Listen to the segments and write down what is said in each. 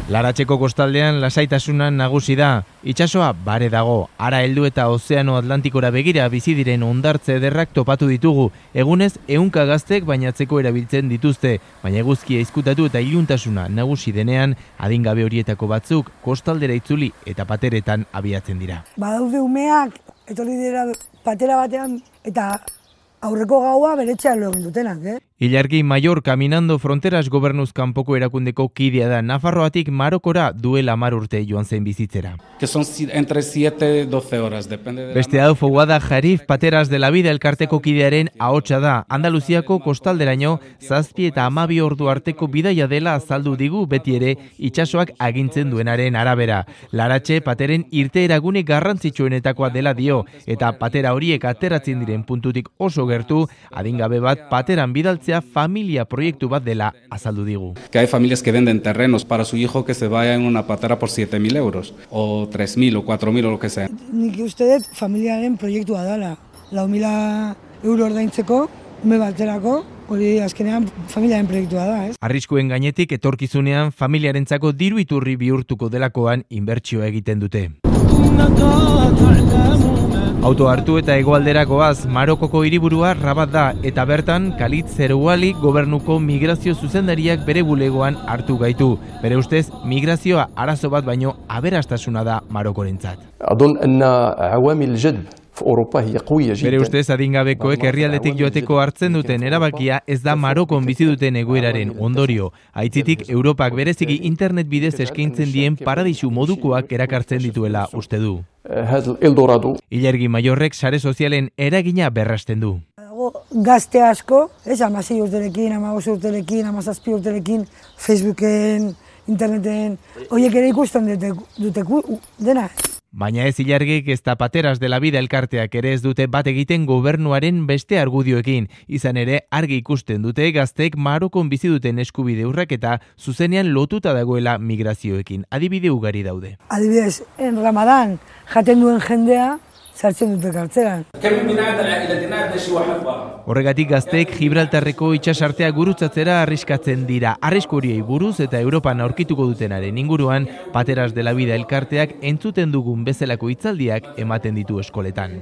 Laratxeko kostaldean lasaitasunan nagusi da. Itsasoa bare dago. Ara heldu eta Ozeano Atlantikora begira bizi diren hondartze ederrak topatu ditugu. Egunez 100 gaztek bainatzeko erabiltzen dituzte, baina eguzkia izkutatu eta iluntasuna nagusi denean, adingabe horietako batzuk kostaldera itzuli eta pateretan abiatzen dira. Badaude umeak etorri dira patera batean eta aurreko gaua beretxean lo egin dutenak, Ilargi Mayor Caminando Fronteras gobernuz kanpoko erakundeko kidea da. Nafarroatik Marokora duela 10 urte joan zen bizitzera. Que son entre 7 y 12 horas, depende de Beste hau Foguada Jarif Pateras de la Vida elkarteko kidearen ahotsa da. Andaluziako kostalderaino 7 eta 12 ordu arteko bidaia dela azaldu digu beti ere itsasoak agintzen duenaren arabera. Laratxe pateren irteeragune garrantzitsuenetakoa dela dio eta patera horiek ateratzen diren puntutik oso gertu, adingabe bat pateran bidaltzen familia proiektu bat dela azaldu digu. Que hay familias que venden terrenos para su hijo que se vaya en una patera por 7.000 euros, o 3.000 o 4.000 o lo que sea. Nik uste dut familiaren proiektua dela. 4.000 euro ordaintzeko, ume baterako, hori azkenean familiaren proiektua da, Arriskuen gainetik etorkizunean familiarentzako diru iturri bihurtuko delakoan inbertsioa egiten dute. Auto hartu eta hegoalderakoaz Marokoko hiriburua Rabat da eta bertan Khalid Zerouali gobernuko migrazio zuzendariak bere bulegoan hartu gaitu. Bere ustez, migrazioa arazo bat baino aberastasuna da Marokorentzat. Bere ustez adingabekoek herrialdetik joateko hartzen duten erabakia ez da Marokon bizi duten egoeraren ondorio. Aitzitik Europak bereziki internet bidez eskaintzen dien paradisu modukoak erakartzen dituela uste du. Ilargi Maiorrek sare sozialen eragina berrasten du. Gazte asko, 16 urterekin, 15 urterekin, 17 urterekin, Facebooken, interneten, horiek ere ikusten dute dena. Baina ez Ilargik ez da Pateras de la Vida elkarteak ere ez dute bat egiten gobernuaren beste argudioekin. Izan ere argi ikusten dute gaztek Marokon bizi duten eskubide urraketa zuzenean lotuta dagoela migrazioekin. Adibide ugari daude. Adibidez, en Ramadan jaten duen jendea sartzen dute kartzelan. Horregatik gazteek Gibraltarreko itsasartea gurutzatzera arriskatzen dira. Arrisku horiei buruz eta Europan aurkituko dutenaren inguruan Pateras de la Vida elkarteak entzuten dugun bezalako hitzaldiak ematen ditu eskoletan.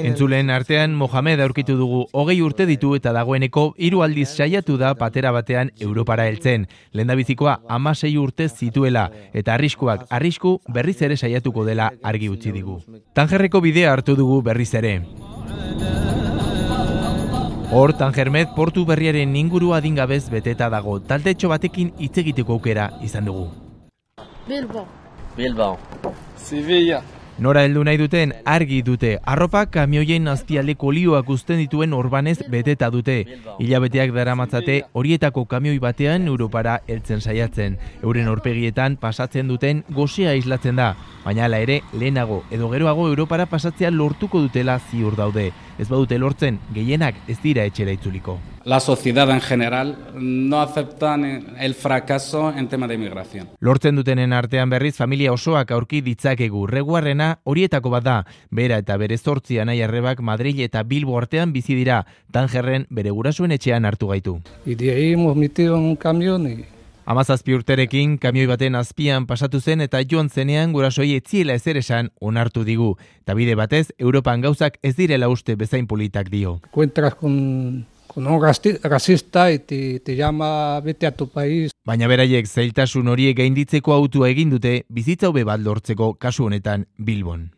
Entzuleen artean Mohamed aurkitu dugu 20 urte ditu eta dagoeneko 3 aldiz saiatu da patera batean Europara heltzen. Lehendabizikoa 16 urte zituela eta arrisku berriz ere saiatuko dela argi utzi digu. Tangerreko bidea hartu dugu berriz ere. Hor, Tangermet portu berriaren inguru adingabez beteta dago. Taldetxo batekin hitz egiteko aukera izan dugu. Bilbao. Sevilla. Nora heldu nahi duten argi dute. Arropak kamioien azpialdeko olioak uzten dituen orbanez beteta dute. Hilabeteak daramatzate horietako kamioi batean Europara heltzen saiatzen. Euren aurpegietan pasatzen duten gosea islatzen da. Baina hala ere, lehenago edo geroago Europara pasatzea lortuko dutela ziur daude. Ez badute lortzen, gehienak ez dira etxera itzuliko. La sociedad en general no aceptan el fracaso en tema de migración. Lortzen dutenen artean berriz familia osoak aurki ditzakegu. Reguarrena horietako bat da. Bera eta bere 8 anai-arrebak Madrid eta Bilbo artean bizi dira. Tangerren bere gurasoen etxean hartu gaitu. Y de ahí hemos metido en un camión y 17 urterekin kamioi baten azpian pasatu zen eta joan zenean gurasoi etziela ezer esan onartu digu. Eta bide batez, Europan gauzak ez direla uste bezain politak dio. encuentras con un racista y te llama vete a tu país. Baina beraiek zailtasun horiek gainditzeko autua egin dute bizitza hobe bat lortzeko kasu honetan Bilbon.